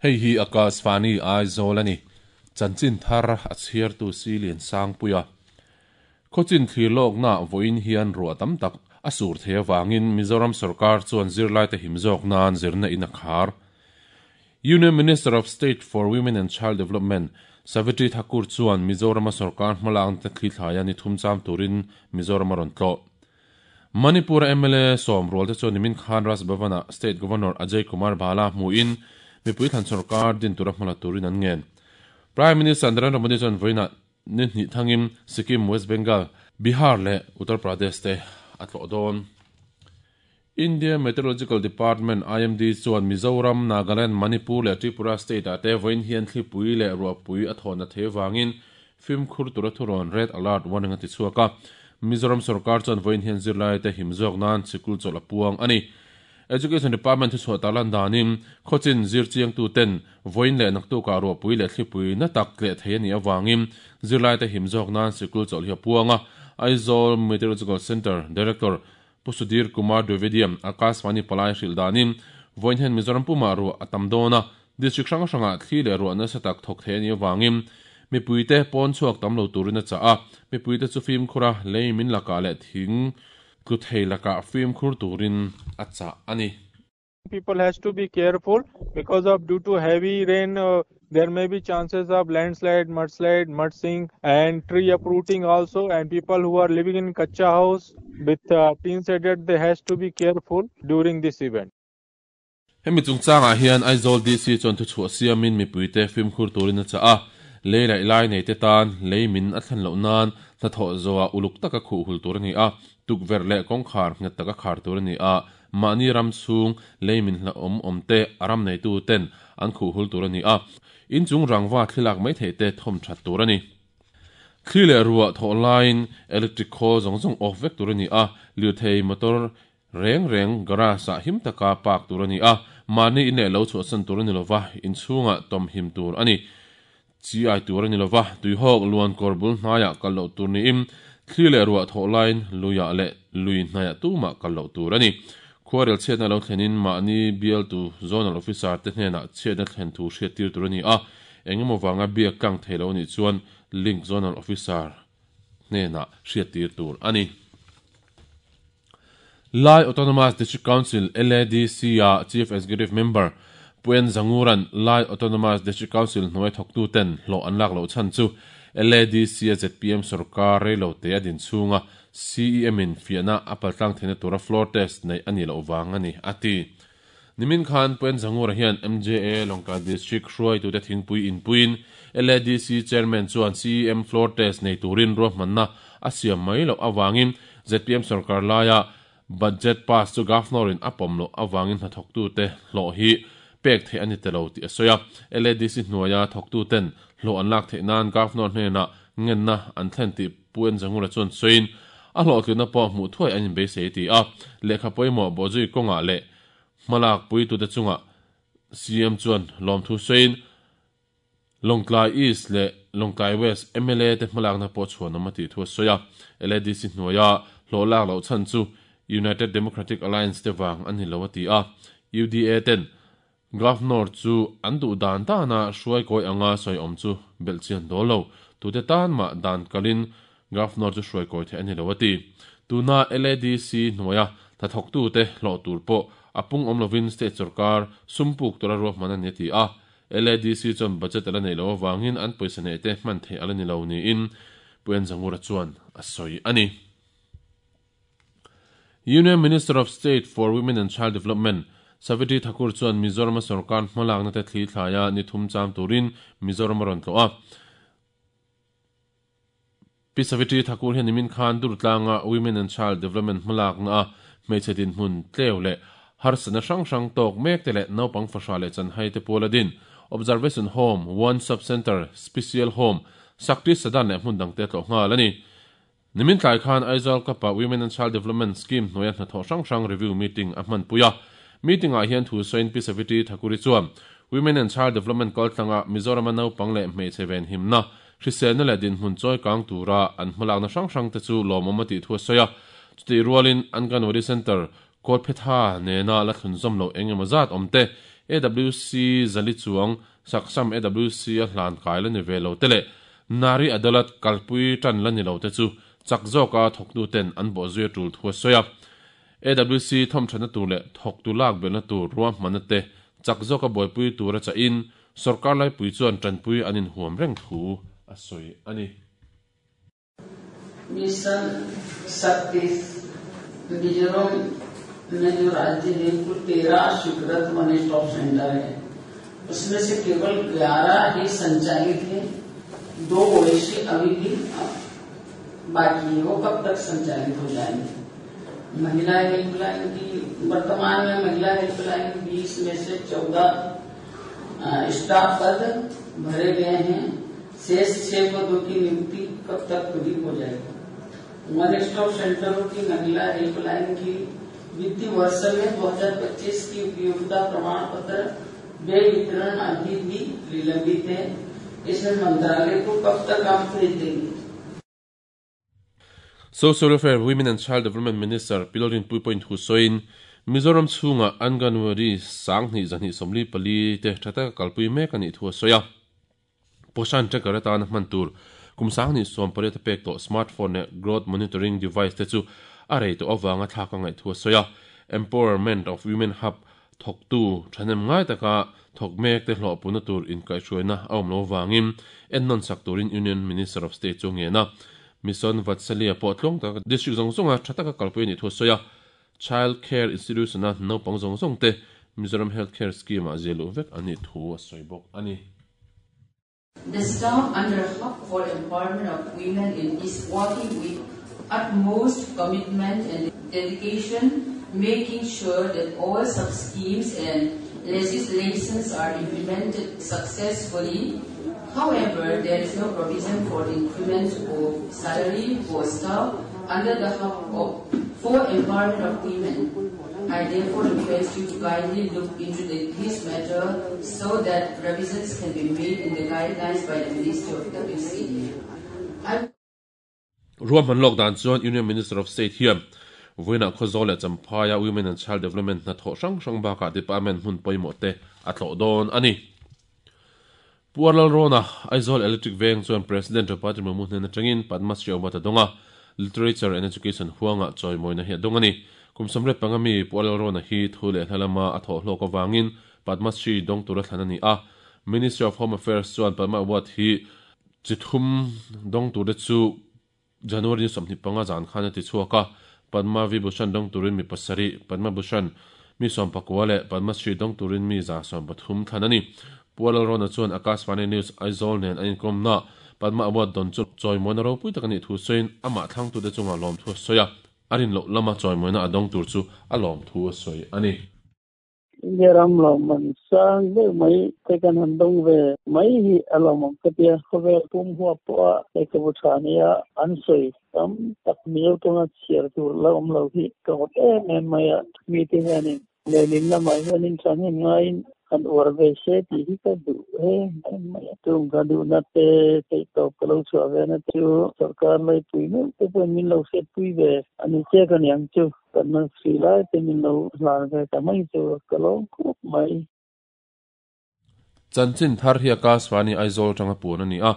Hei hi Akashvani Aizawl a ni. Chanchin thar a chhiartu Silian Sangpuia. Khawchin thlir lawkna vawiin hian ruah tam tak a sur thei avangin Mizoram sorkar chuan zirlaite him zawk nan zirna in a khar. Union Minister of State for Women and Child Development Savitri Thakur chuan Mizorama sorkar hmalakna te thlithlaia ni thum cham turin Mizoram a rawn tlawh. Manipur a mla sawm rual te chuan nimin khan Raj Bhavan-ah State Governor Ajay Kumar Bhalla hmuhin mipui thlan sorkar din tura hmala turin an ngen. Prime Minister Narendra Modi chuan vawiinah ni hnih thangin Sikkim, West Bengal, Bihar leh Uttar Pradesh te a tlawh dawn. India Meteorological Department, IMD, chuan Mizoram, Nagaland, Manipur leh Tripura state-ah te vawiin hian thlipui leh ruahpui a thawhna thei avangin fimkhur tura thurawn Red Alert warning a ti chhuak a. Mizoram sorkar chuan vawiin hian zirlaite him zawk nan sikul chawlh a puang a ni. Education Department thuchhuah tarlan danin khawchin zirchiangtu ten vawiin leh naktukah ruahpui leh thlipui na tak tleh thei a nih avangin zirlaite him zawk nan sikul chawlh hi a puang a. Aizawl Meteorological Centre Director Pu Sudhir Kumar Dwivedi-a'n Akashvani palai hrilh danin, vawiin hian Mizoram pumah ruah a tam dawn a, district hrang hrangah thli leh ruah nasa tak thawk thei a nih avangin mipuite pawn chhuak tam lo turin a chah a, mipuite chu fimkhur a, lei min lakah leh thing tlu thei lakah fimkhur turin a chah a ni. People has to be careful because of due to heavy rain uh, there may be chances of landslide mudslide mud sink and tree uprooting also and people who are living in kacha house with uh, tin shaded they has to be careful during this event Hemi chungchangah hian Aizawl DC chuan thuchhuah siamin mipuite fimkhur turin a chah a, lei laih lai neite tan lei min a thlen loh nan hnathawh zawhah uluk taka khuh hul tur a ni a, tukverh leh kawngkhar nghet taka khar tur a ni a, Mahni ram chhung lei min hlauhawm awm te a ram neitu ten an khuh hul tur a ni a, in chung rangva thli lak mai theih te thawm that tur a ni. Thli leh ruah thawh laiin electric khawl zawng zawng off vek tur a ni a, lirthei motor reng reng garage ah him taka park tur a ni a, mahni in leh lo chhuahsan tur a ni lova, in chhungah tawm him tur a ni. Chi ai tur a ni lova, tuihawk luan kawr bul hnaiah kal loh tur niin thli leh ruah thawh laiin luiah leh lui hnaiah tumah kal loh tur a ni. Khuarel chhiatna lo thlenin mahni bialtu Zonal Officer te hnenah chhiatna thlen thu hriattir tur a ni a, engemaw vanga biak tlang thei lo a nih chuan Link Zonal Officer hnenah hriattir tur a ni. Lai Autonomous District Council, LADC, a Chief Executive Member Puen Zangura'n Lai Autonomous District Council hnuai thawktuten hlawh an lak loh chhan chu LADC a zpm sorkar reilote a din chhunga CEM-in fiahna a paltlang theihna tura floor test neih a nih loh vang a ni, a ti. Nimin khan Puen Zangura hian MJA Lawngtlai District hruaitute thingpui inpuiin LADC Chairman chuan CEM floor test nei turin ruahmanna a siam mai loh avangin zpm sorkar laia budget pass chu Governor-in a pawm loh avangin hnathawktute hlawh hi pek theih a ni ta lo tih a sawi a. LADC hnuaia thawktuten hlawh an lak theih nan Governor hnenah ngenna an thlen tih Pu Enzangura chuan sawiin, a hlawhtlinna pawh hmuh thuai an inbeisei a ti a. Lehkha pawimawh bawhzui kawngah leh hmalak puitute chungah CM chuan lawmthu sawiin, Lawngtlai East leh Lawngtlai West mla te hmalakna pawh chhuanawm a tih thu a sawi a. LADC hnuaia hlawh lak loh chhan chu United Democratic Alliance te vang a ni lo a ti a. UDA ten Governor chu an duh dan dana hruai kawi anga sawi awm chu belh chian dawl lo. Tute tan mah dan kalin Governor chu hruai kawi theih a ni lo a ti. Tuna LADC hnuaia hnathawktute hlawh tur pawh a pung awm lovin state sorkar sum puk tura ruahman a ni a ti a. LADC chuan budget a la neih loh avangin an pawisa neih te hman theih a la ni lo niin Pu Enzangura chuan a sawi a ni. Union Minister of State for Women and Child Development, Savitri Thakur chuan Mizorama sorkar hmalakna te thli thlaia ni thum cham turin Mizoram a rawn tlawh a. Pi Savitri Thakur hian nimin khan Durtlanga Women and Child Development hmalakna a hmeichhe dinhmun tleu leh harsatna hrang hrang tawk mek te leh naupang fahrah leh chanhai te pual a din Observation Home, One Sub Centre, Special Home, Shakti Sadan leh hmun dangte a tlawh nghal a ni. Nimin tlai khan Aizawl Cup-ah Women and Child Development Scheme hnuaia hnathawh hrang hrang review meeting a hmanpui a. Meeting-ah hian thu sawiin Pi Savitri Thakuri chuan Women and Child Development kaltlanga Mizorama naupang leh hmeichhe venhimna, hriselna leh dinhmun chawi kang tura an hmalakna hrang hrang te chu lawmawm a tih thu a sawi a. Chutih rualin Anganwadi Centre Kawlphetha nena la thlunzawm loh eng emaw zat awm te, AWC 400 chuang Saksam AWC a hlan kai la ni ve lo te leh Nari Adalat kalpui tan la ni lo te chu chak zawka thawktuten an bawhzui a tul thu a sawi a. AWC thawmthatna tur leh thawktu lak belhna tur ruahmanna te chak zawka buaipui tura chahin sorkar laipui chuan tanpui an inhuam reng thu a sawi a ni. Mission Shakti Mizoram में जो राज्य है कुल 13 स्वीकृत one stop centre है, उसमें से केवल 11 ही संचालित है, 2 ओएससी अभी भी बाकी है, वो कब तक संचालित हो जाएंगे? महिला हेल्पलाइन की वर्तमान में महिला हेल्पलाइन 20 में से 14 स्टाफ पद भरे गए हैं, शेष 6 पदों की नियुक्ति कब तक पूरी हो जाएगी? वन स्टॉप सेंटरों की महिला हेल्पलाइन की वित्तीय वर्ष में 2025 की उपयोगिता प्रमाण पत्र व्यय वितरण अभी भी विलंबित है, इसमें मंत्रालय को कब तक आप भेज देंगे? Social Welfare, Women and Child Development Minister Pi Lalrinpuii pawhin thu sawiin Mizoram chhunga Anganwadi 2224 te tha taka kalpui mek a nih thu a sawi a. Poshan tracker atana hman tur kum 2018 a pek tawh smartphone leh growth monitoring device te chu a rei tawh avanga thlak a ngaih thu a sawi a. Empowerment of Women Hub thawktu thahnem ngai taka thawk mek te hlawhpuna tur inkaihhruaina a awm lo avangin ennawn sak turin Union Minister of State chu a ngen a. Mission Vatsalya pawh tluang taka district zawng zawnga tha taka kalpui a nih thu a sawi a. Child Care Institution-a naupang zawng zawng te Mizoram Health Care Scheme-ah zia luh vek an nih thu a sawi bawk a ni. The staff under Hub for Empowerment of Women in is working with utmost commitment and dedication, making sure that all sub-schemes and legislations are implemented successfully. However, there is no provision for increment of salary for staff under the Hub of for Empowerment of Women. I therefore request you to kindly look into this matter so that revisions can be made in the guidelines by the Ministry of WCD. I Ruahman lawk dan chuan Union Minister of State hian vawiinah Khawzawl leh Champhaia Women and Child Development hnathawh hrang hrang bakah department hmun pawimawh te a tlawh dawn a ni. Pu Arlalrawna, Aizawl Electric Veng chuan President Draupadi Murmu hnen atangin Padma Shri Award a dawng a, Literature and Education huangah chawimawina hi a dawng a ni. Kum 35 mi Pu Arlalrawna hi thu leh hla lama a thawh hlawk avangin Padma Shri dawng tura thlan a ni a. Ministry of Home Affairs chuan Padma Award hi chi thum dawng turte chu January ni 25 zan khan a ti chhuak a, Padma Vibhushan dawng turin mi pasarih, Padma Bhushan mi 19 leh Padma Shri dawng turin mi 130 thlan a ni. Pu Lalrawna chuan Akashvani News Aizawl nen an inkawmna Padma Award dawn chu chawimawina ropui tak a nih thu sawiin amah thlangtute chungah lawmthu a sawi a, a rin loh lama chawimawina a dawng tur chu a lawmthu a sawi a ni. India ram lawmman sang deuh mai te kan han dawng ve mai hi a lawmawm ka tia. Khawvel pum huap pawha lehkhabu tha nia an sawi tam tak Mizo tawnga chhiar tur la awm lo hi ka ngawt em em mai a. Mite hianin lehlin lamah hianin thahnem ngaiin han uar ve se tih hi ka duh em em mai a. Tum ka duhna te theihtawp ka lo chhuah ve na te chu sorkar laipui meuh te pawhin min lo hriatpui ve a ni chiak a niang chu. Kan hman si lai te min lo hlan ve ta mai chu ka lawm khawp mai. Chanchin thar hi Akashvani Aizawl atanga puan a ni a,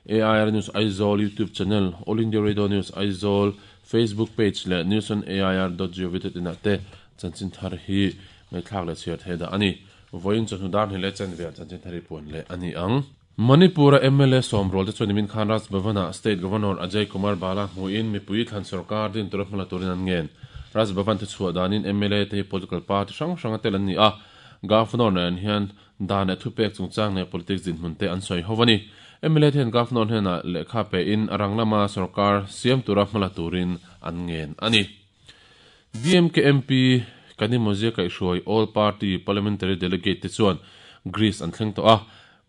AIR News Aizawl YouTube channel, All India Radio News Aizawl Facebook page leh newsonair.gov.in ah te chanchin thar hi ngaihthlak leh chhiar theih dah a ni. Vawiin chawhnu dar hnih leh chanve ah chanchin thar hi puan leh a ni ang. Manipur-a mla sawmrual te chuan nimin khan Raj Bhavan-ah State Governor Ajay Kumar Bhalla hmuhin mipui thlan sorkar din tura hmala turin an ngen. Raj Bhavan te chhuah danin mla te hi political party hrang hranga tel an ni a, Governor nen hian dan leh thupek chungchang leh politics dinhmun te an sawi ho a ni. Mla te hian Governor hnenah lehkha pein a rang lama sorkar siam tura hmala turin an ngen a ni. DMK MP Kanimozia kaihhruai All Party Parliamentary Delegate te chuan Greece an thleng tawh a,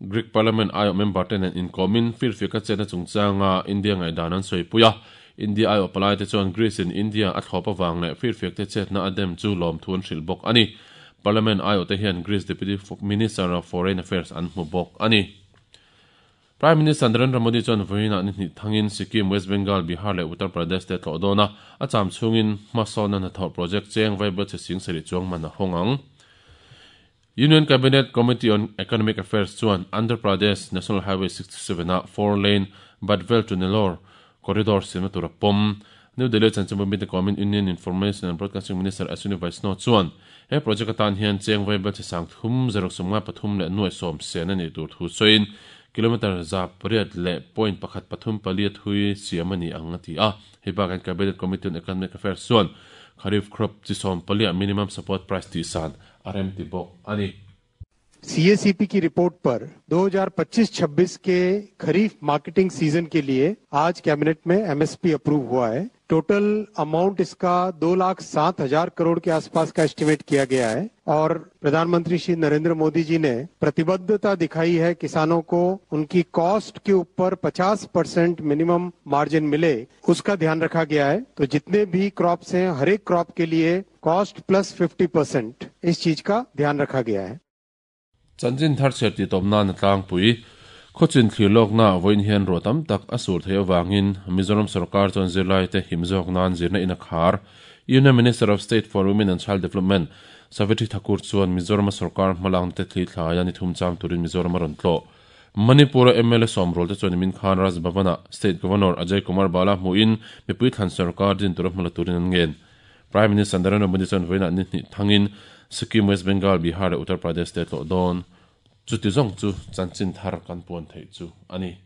Greek Parliament aiawh member te nen inkawmin firfiaka chetna chungchanga India ngaihdan an sawipui a. India aiawh palai te chuan Greece in India a thlawp avang leh firfiak te chetna a dem chu lawmthu an hrilh bawk a ni. Parliament aiawh te hian Greece Deputy Minister of Foreign Affairs an hmu bawk a ni. Prime Minister Narendra Modi chuan vawiinah ni hnih thangin Sikkim, West Bengal, Bihar leh Uttar Pradesh te a tlawh dawn a, a cham chhungin hmasawnna hnathawh project cheng vaibel chhe sing sarih chuang man a hawng ang. Union Cabinet Committee on Economic Affairs chuan Andhra Pradesh National Highway 67 a four lane Badvel to Nellore corridor siamna tur a pawm. New Delhi chanchinbu mite kawmin Union Information and Broadcasting Minister Ashwini Vaishnaw chuan he project atan hian cheng vaibel chi sang thum zaruk sawmnga pathum leh nuai sawm sen a nih tur thu sawiin kilometre za pariat leh point pakhat pathum pali a thui siam a ni ang a ti a. Hei bakah hian Cabinet Committee on Economic Affairs chuan Kharif crop chi sawm paliah minimum support price tihsan a remti bawk a ni. CACP की report पर 2025-26 के खरीफ marketing season के लिए आज cabinet में MSP approve हुआ है। Total amount इसका 2,07,000 करोड़ के आसपास का एस्टिमेट किया गया है और प्रधानमंत्री श्री नरेंद्र मोदी जी ने प्रतिबद्धता दिखाई है किसानों को उनकी कॉस्ट के ऊपर 50% मिनिमम मार्जिन मिले, उसका ध्यान रखा गया है। तो जितने भी क्रॉप्स हैं, हर एक क्रॉप के लिए कॉस्ट प्लस 50%, इस चीज का ध्यान रखा गया है। Chanchin thar chhiar tih tawp nan a tlangpui. Khawchin thlir lawkna vawiin hian ruah tam tak a sur theih avangin Mizoram sorkar chuan zirlaite him zawk nan zirna in a khar. Union Minister of State for Women and Child Development Savitri Thakur chuan Mizorama sorkar hmalakna te thli thlaia ni thum chang turin Mizoram a rawn tlawh. Manipur-a mla sawmrual te chuan nimin khan Raj Bhavan-ah State Governor Ajay Kumar Bala hmuhin mipui thlan sorkar din tura hmala turin an ngen. Prime Minister Narendra Modi chuan vawiinah ni hnih thangin Sikkim, West Bengal, Bihar leh Uttar Pradesh te tlawh dawn. Chuti zawng chu chanchin thar kan puan theih chu a ni.